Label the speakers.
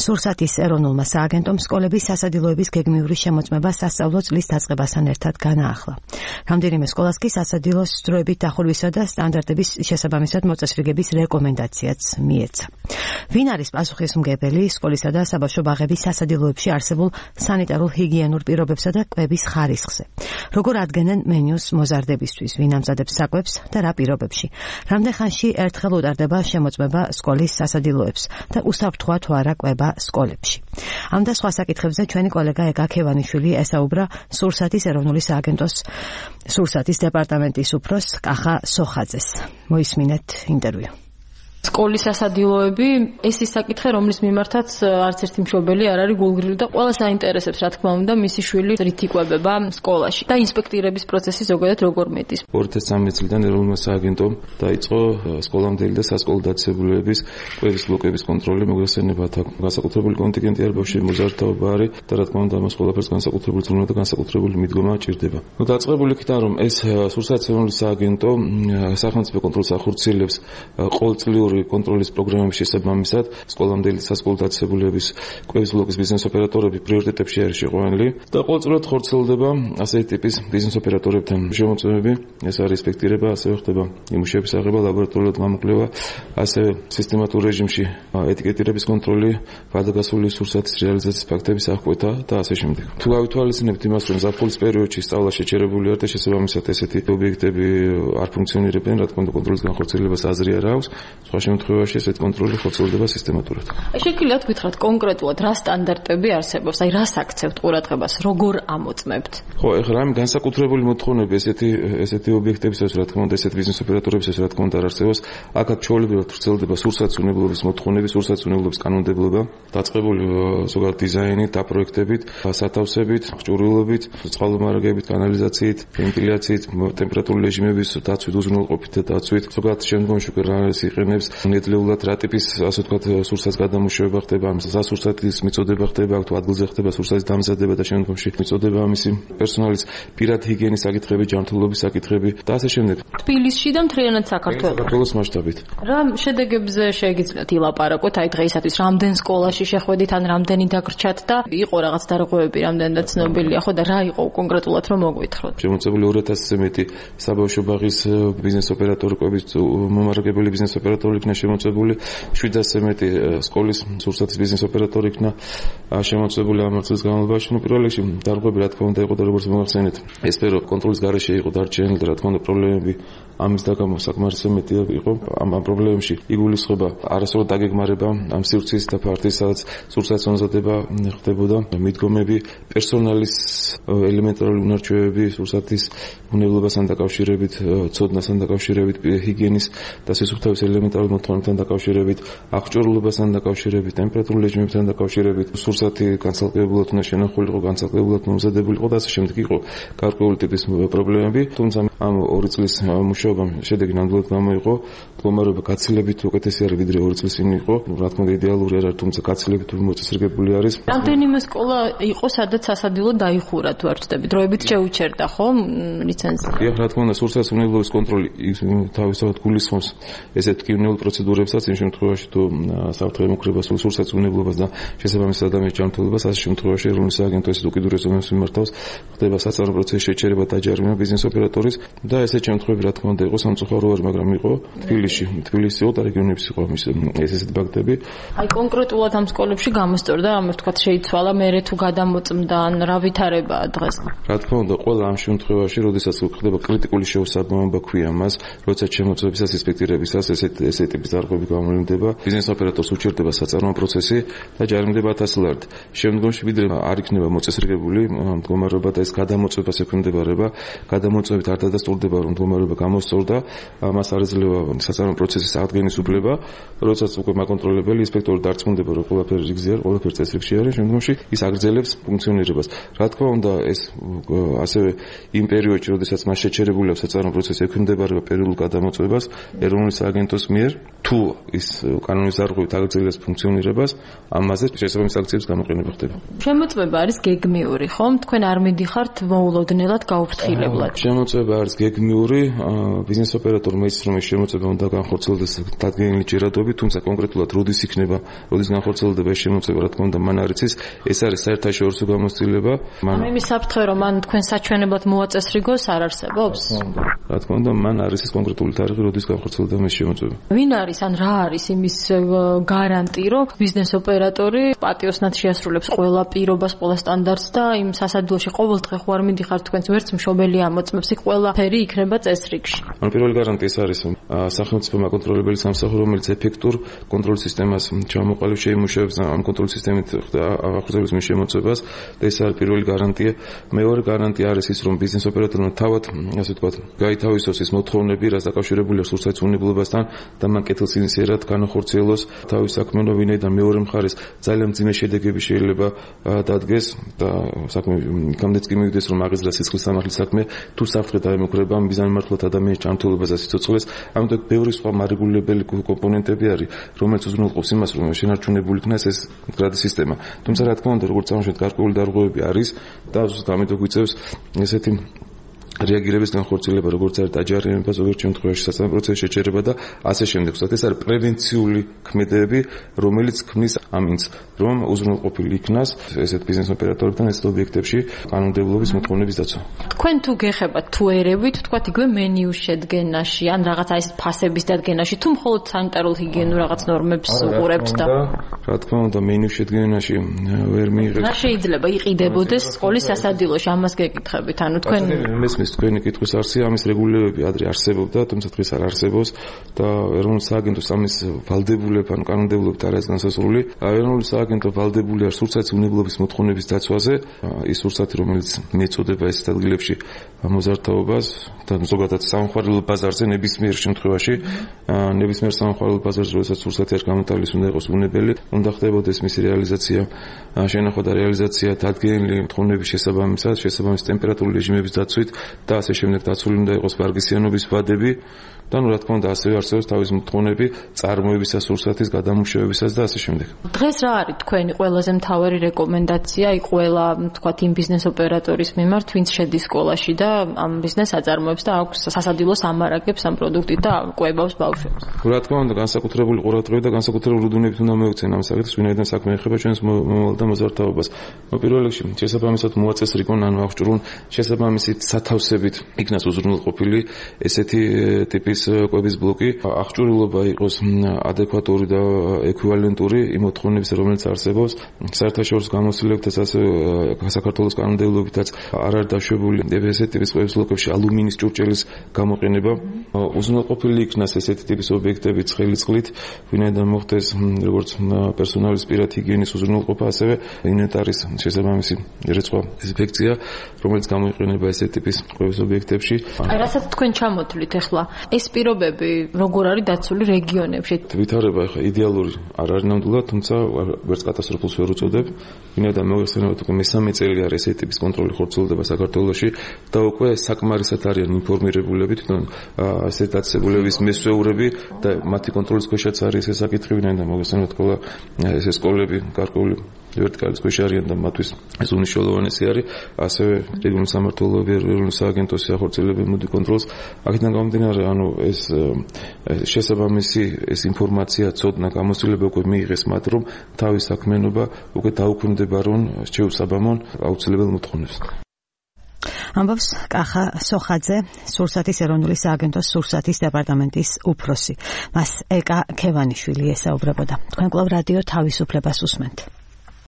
Speaker 1: სურსათის ეროვნულმა სააგენტომ სკოლების სასადილოების გეგმიური შემოწმება სასწავლო წლის დაწყებასთან ერთად განაახლა. რამდენიმე სკოლას კი სასადილოს დროებით დახურვისა და სტანდარტების შესაბამისად მოწესრიგების რეკომენდაციაც მიეცა. ვინ არის პასუხისმგებელი სკოლისა და საბავშვო ბაღების სასადილოებში არსებულ სანიტარულ-ჰიგიენურ პირობებსა და კვების ხარისხზე? როგორ ადგენენ მენიუს მოზარდებისთვის, ვინ ამზადებს საკვებს და რა პირობებში? რამდენ ხანში ერთხელ უტარდება შემოწმება სკოლის სასადილოებს და უსაფრთხოა თუ არა კვება სკოლებში? ამ და სხვა საკითხებზე ჩვენი კოლეგა ეგა ქევანიშვილი ესაუბრა სურსათის ეროვნული სააგენტოს სურსათის დეპარტამენტის უფროს კახა სოხაძეს. მოისმინეთ ინტერვიუ.
Speaker 2: სკოლის სასადილოები ეს ის საკითხი, რომლის მიმართაც არც ერთი მშობელი არ არის გულგრილი და ყველას აინტერესებს, რა თქმა უნდა, მისი შვილი რით იკვებება სკოლაში და ინსპექტირების პროცესი ზოგადად როგორ მეტის.
Speaker 3: 2013 წლიდან ეროვნულმა სააგენტომ დაიწყო სკოლამდელი და სასკოლო დაწესებულებების კვების ბლოკების კონტროლი, მოგხსენებათ, განსაკუთრებული კონტინგენტი არ ბავშვი მოზარდთაობა არის და რა თქმა უნდა, ამას ყველაფერს განსაკუთრებული ზრუნვა და განსაკუთრებული მიდგომა ჭირდება. დაწყებული იქიდან რომ ეს სურსათის ეროვნული სააგენტო სახელმწიფო კონტროლს ახორციელებს ყოველწლიური კონტროლის პროგრამების შესაბამისად სკოლამდელი სასკოლო დაწესებულების კვების ბლოკის ბიზნეს ოპერატორები პრიორიტეტებში არის შეყვანილი და ყოველწლიურად ხორციელდება ასეთი ტიპის ბიზნეს ოპერატორებთან შემოწმებები, ეს არის ინსპექტირება, ასევე ხდება იმუშების აღება, ლაბორატორიულად გამოკვლევა, ასევე სისტემატურ რეჟიმში ეტიკეტირების კონტროლი, გადაგასული სურსათის რეალიზაციის ფაქტების აღკვეთა და ასე შემდეგ. თუ გავითვალისწინებთ იმას, რომ ზაფხულის პერიოდში სწავლა შეჩერებული არის და შესაბამისად ესეთი ობიექტები არ ფუნქციონირებენ, რა თქმა უნდა, კონტროლის განხორციელებას აზრი არ აქვს. სხვა შემთხვევაში ესეთი კონტროლი ხორციელდება სისტემატურად.
Speaker 2: შეგიძლიათ გითხრათ კონკრეტულად რა სტანდარტები არსებობს, აი რას აქცევთ ყურადღებას, როგორ ამოწმებთ?
Speaker 3: ხო, ეხლა ამ განსაკუთრებული მოთხოვნები ესეთი ობიექტებისთვის, რა თქმა უნდა, ესეთი ბიზნეს ოპერატორებისთვის, რა თქმა უნდა, არ არსებობს. აქაც ჩვეულებრივად ვრცელდება სურსათის უნებლობის მოთხოვნები, სურსათის უნებლობის კანონმდებლობა, დაწყებული ზოგადად დიზაინით, დაპროექტებით, სათავსებით, ჭურვილობით, წყალმომარაგებით, კანალიზაციით, ვენტილიაციით, ტემპერატურული რეჟიმების დაცვით, უზრუნველყოფით და დაცვით, ზოგადად შემდგომში უკვე რა იყენებს ნედლეულად რა ტიპის, ასე ვთქვათ, სურსათის გადამუშავება ხდება, ამ სასურსათის მიწოდება ხდება, თუ ადგილზე ხდება სურსათის დამზადება და შემდგომში მიწოდება ამისი პერსონალის პირად ჰიგიენის საკითხები, ჯანმრთელობის საკითხები და ასე შემდეგ.
Speaker 2: თბილისში და მთლიანად
Speaker 3: საქართველოს მასშტაბით.
Speaker 2: რა შედეგებზე შეგიძლიათ ილაპარაკოთ, აი დღეისათვის რამდენ სკოლაში შეხვედით, ან რამდენი დაგრჩათ და იყო რაღაც დარღვევები, რამდენად ცნობილია, ხო და რა იყო კონკრეტულად რომ მოგვითხროთ?
Speaker 3: შემოწმებული 2000-ზე მეტი საბავშვო ბაღის ბიზნეს ოპერატორების მომარაგებელი ბიზნეს ოპერატორი იქნა შემოწმებული, 700-ზე მეტი სკოლის სურსათის ბიზნეს ოპერატორი იქნა შემოწმებული ამ წელს განმავლობაში. პირველ რიგში დარღვევები რა თქმა უნდა იყო და როგორც მოგახსენეთ, ეს სფერო კონტროლის გარეშე იყო დარჩენილი და რა თქმა უნდა პრობლემები ამის დაგამო საკმარისად მეტი იყო. ამ პრობლემებში იგულისხმება არასწორად დაგეგმარება ამ სივრცის და ფართის, სადაც სურსათის მომზადება ხდებოდა, მიდგომები, პერსონალის ელემენტარული უნარჩვევები, სურსათის უნებლობასთან დაკავშირებით, ცოდნასთან დაკავშირებით, ჰიგიენის და სისუფთავის ელემენტარულ მოთხოვნებთან დაკავშირებით, აღჭურვილობასთან დაკავშირებით, ტემპერატურულ რეჟიმებთან დაკავშირებით, სურსათი განცალკევებულად უნდა შენახულიყო, განცალკევებულად მომზადებულიყო და ასე შემდეგ იყო გარკვეული ტიპის პრობლემები. თუმცა ამ 2 წლის მუშაობამ შედეგი ნამდვილად გამოიყო, მდგომარეობა გაცილებით უკეთესი არის ვიდრე 2 წლის წინ იყო. რა თქმა უნდა იდეალური არ არის, თუმცა გაცილებით მოწესრიგებული არის.
Speaker 2: რამდენიმე სკოლა იყო, სადაც სასადილო დაიხურა თუ არ ვცდები, დროებით შეუჩერდა ხო ლიცენზია?
Speaker 3: დიახ, რა თქმა უნდა, სურსათის უნებლობის კონტროლი თავისთავად გულისხმობს ესეთ ტკივნეულ პროცედურებსაც, იმ შემთხვევაში თუ საფრთხე ემუქრება სურსათის უნებლობას და შესაბამისად ადამიანის ჯანმრთელობას, ასე შემთხვევაში ეროვნული სააგენტო ესეთ უკიდურეს ზომებს მიმართავს, ხდება საწარმო პროცესის შეჩერება და დაჯარიმება ბიზნეს ოპერატორის და ესეთ შემთხვევები რა თქმა უნდა იყო სამწუხარო არ, მაგრამ იყო თბილისი იყო და რეგიონებში იყო ესეთი ფაქტები.
Speaker 2: აი კონკრეტულად ამ სკოლებში გამოსწორდა, ამ ვთქვათ შეიცვალა მერე თუ გადამოწმდა ან რა ვითარებაა დღეს?
Speaker 3: რა თქმა უნდა, ყველა ამ შემთხვევაში, როდესაც ხდება კრიტიკული შეუსაბამობა ქვია მას, როცა შემოწმებისას ინსპექტირებისას ესეთი ტიპის დარღვევები გამოვლინდება, ბიზნეს ოპერატორს უჩერდება საწარმო პროცესი და ჯარიმდება 1000 ლარით. შემდგომში ვიდრე არ იქნება მოწესრიგებული მდგომარეობა და ეს გადამოწმებას ექვემდებარება, გადამოწმებით არ დადასტურდება რომ მდგომარეობა გამოსწორდა, მას არ ეძლევა საწარმო პროცესის აღდგენის უფლება, როდესაც უკვე მაკონტროლებელი ინსპექტორი დარწმუნდება რომ ყველაფერი რიგზია, ყველაფერი წესრიგში არის, შემდგომში ის აგრძელებს ფუნქციონირებას. რა თქმა უნდა, ეს ასევე იმ პერიოდში, როდესაც მას შეჩერებული აქვს საწარმო პროცესი ექვემდებარება პერიოდულ გადამოწმებას ეროვნული სააგენტოს მიერ თუ ის კანონის დარღვევით აგრძელებს ფუნქციონირებას, ამაზე შესაბამის აქციების გამოყენება ხდება.
Speaker 2: შემოწმება არის გეგმიური, ხომ? თქვენ არ მიდიხართ მოულოდნელად გაუფრთხილებლად.
Speaker 3: შემოწმება არის გეგმიური, ბიზნეს ოპერატორმა იცის, რომ ეს შემოწმება უნდა განხორციელდეს დადგენილი ჯერადობით, თუმცა კონკრეტულად როდის იქნება, როდის განხორციელდება ეს შემოწმება, რა თქმა უნდა, მან არ იცის. ეს არის საერთაშორისო გამოცდილება.
Speaker 2: იმის საფრთხე, რომ მან თქვენ საჩვენებლად მოაწესრიგოს, არ არსებობს?
Speaker 3: რა თქმა უნდა, მან არ იცის კონკრეტული თარიღი, როდის განხორციელდება ეს შემოწმება.
Speaker 2: ვინ არის ან რა არის იმის გარანტი, რომ ბიზნეს ოპერატორი პატიოსნად შეასრულებს ყველა პირობას, ყველა სტანდარტს და იმ სასადილოში ყოველდღე ხო არ მიდიხარ თქვენს ვერც მშობელი ამოწმებს, იქ ყველაფერი იქნება წესრიგში.
Speaker 3: ანუ პირველი გარანტი ეს არის, რომ სახელმწიფო მაკონტროლებელი სამსახური, რომელიც ეფექტურ კონტროლ სისტემას ჩამოყალიბ შეიმუშავებს ამ კონტროლ სისტემით ახორციელებს მის შემოწმებას და ეს არის პირველი გარანტია. მეორე გარანტია არის ის, რომ ბიზნეს ოპერატორმა თავად, ასე ვთქვათ, გაითავისოს ის მოთხოვნები, რაც დაკავშირებულია სურსათის უნებლობასთან და მან ინიციირად განახორციელოს თავის საქმიანობა, ვინაიდან მეორე მხარეს ძალიან მძიმე შედეგები შეიძლება დადგეს და საქმე იქამდეც კი მივიდეს, რომ აღიზრდა სისხლის სამართლის საქმე, თუ საფრთხე დაემუქრება მიზანმიმართულად ადამიანის ჯანმრთელობას და სიცოცხლეს. ამიტომ ბევრი სხვა მარეგულირებელი კომპონენტები არის, რომელიც უზრუნველყოფს იმას, რომ შენარჩუნებული იქნას ეს მდგრადი სისტემა. თუმცა რა თქმა უნდა, როგორც წამოშეთ გარკვეული დარღვევები არის და ამიტომ გვიწევს ესეთი რეაგირების განხორციელება, როგორც არის დაჯარიმება, ზოგიერთ შემთხვევაში სასწავლო პროცესის შეჩერება და ასე შემდეგ. ეს არის პრევენციული ქმედებები, რომელიც ქმნის ამინს, რომ უზრუნველყოფილი იქნას ესეთ ბიზნეს ოპერატორებთან ესეთ ობიექტებში კანონმდებლობის მოთხოვნების დაცვა.
Speaker 2: თქვენ თუ გეხებათ თუ ერევით, თქვათ იგივე მენიუს შედგენაში, ან რაღაცა ეს ფასების დადგენაში, თუ მხოლოდ სანიტარულ ჰიგიენურ რაღაც ნორმებს უყურებთ და
Speaker 3: რა თქმა უნდა, მენიუს შედგენაში ვერ მიიღებს.
Speaker 2: რა შეიძლება იყიდებოდეს სკოლის სასადილოში, ამას გეკითხებით, ანუ თქვენ
Speaker 3: თქვენი კითხვის არსია, ამის რეგულირებები ადრე არსებობდა, თუმცა დღეს არ არსებობს და ეროვნულ სააგენტოს ამის ვალდებულება ან კანონმდებლობით არ არის განსაზღვრული. ეროვნული სააგენტო ვალდებულია სურსათის უნებლობის მოთხოვნების დაცვაზე, ის სურსათი, რომელიც მიეწოდება ეს ადგილებში მოზარდთაობას და ზოგადად სამხარელო ბაზარზე ნებისმიერ შემთხვევაში, ნებისმიერ სამხარელო ბაზარზე, როდესაც სურსათი არ გამოტანის, უნდა იყოს უნებელი, უნდა ხდებოდეს მისი რეალიზაცია, შენახვა და რეალიზაცია დადგენილი მოთხოვნების შესაბამის ტემპერატურული რეჟიმების დაცვით და ასე შემდეგ დაცული უნდა იყოს ვარგისიანობის ვადები და რა თქმა უნდა ასევე არსებობს თავის მოთხოვნები წარმოებისას, სურსათის გადამუშავებისას და ასე შემდეგ.
Speaker 2: დღეს რა არის თქვენი ყველაზე მთავარი რეკომენდაცია ყველა თქვათ იმ ბიზნეს ოპერატორის მიმართ, ვინც შედის სკოლაში და ამ ბიზნესს აწარმოებს და აქვს სასადილოს ამარაგებს ამ პროდუქტით და კვებავს ბავშვებს?
Speaker 3: რა თქმა უნდა, განსაკუთრებული ყურადღება და განსაკუთრებული რუდუნებით უნდა მოექცენ ამ საკითხს, ვინაიდან საქმე ეხება ჩვენს მომავალ და მოზარდთაობას. პირველ რიგში შესაბამისად მოაწესრიგონ ან აღჭურვონ შესაბამისი სათავსებით იქნას უზრუნველყოფილი ესეთი ტიპის კვების ბლოკი, აღჭურვილობა იყოს ადეკვატური და ეკვივალენტური იმ მოთხოვნების, რომელიც არსებობს საერთაშორისო გამოცდილებითაც, ასე საქართველოს კანონმდებლობითაც არ არის დაშვებული ესეთი ტიპის კვების ბლოკებში ალუმინის ჭურჭელის გამოყენება. უზრუნველყოფილი იქნას ესეთი ტიპის ობიექტები ცხელი წყლით, ვინაიდან მოხდეს როგორც პერსონალის პირად ჰიგიენის უზრუნველყოფა, ასევე ინვენტარის შესაბამისი რიცხვა დეზინფექცია, რომელიც გამოიყენება ესეთი ტიპის კვების ობიექტებში.
Speaker 2: რასაც თქვენ ჩამოთვლით ახლა, ეს პირობები როგორ არის დაცული რეგიონებში?
Speaker 3: ვითარება ახლა იდეალური არ არის ნამდვილად, თუმცა ვერც კატასტროფულს ვერ უწოდებ, ვინაიდან მოგეხსენებათ, უკვე მესამე წელი არის ესეთი ტიპის კონტროლი ხორციელდება საქართველოში და უკვე საკმარისად არიან ინფორმირებულები თვითონ ესეთ დაწესებულების მესვეურები და მათი კონტროლის ქვეშაც არის ეს საკითხი, ვინაიდან მოგეხსენებათ, ყველა ეს სკოლები გარკვეული ვერტიკალის ქვეშ არიან და მათთვის ეს უნიშნელოვანესი არის, ასევე რეგიონული სამმართველოები, ეროვნული სააგენტოს ახორციელებენ მოდი კონტროლს. აქედან გამომდინარე, ანუ ეს შესაბამისი ეს ინფორმაცია, ცოდნა, გამოცდილება უკვე მიიღეს მათ, რომ თავის საქმიანობა უკვე დაუქვემდებარონ შეუსაბამონ აუცილებელ მოთხოვნებს.
Speaker 1: ამბობს კახა სოხაძე, სურსათის ეროვნული სააგენტოს სურსათის დეპარტამენტის უფროსი. მას ეკა ქევანიშვილი ესაუბრებოდა. თქვენ კვლავ რადიო თავისუფლებას უსმენთ.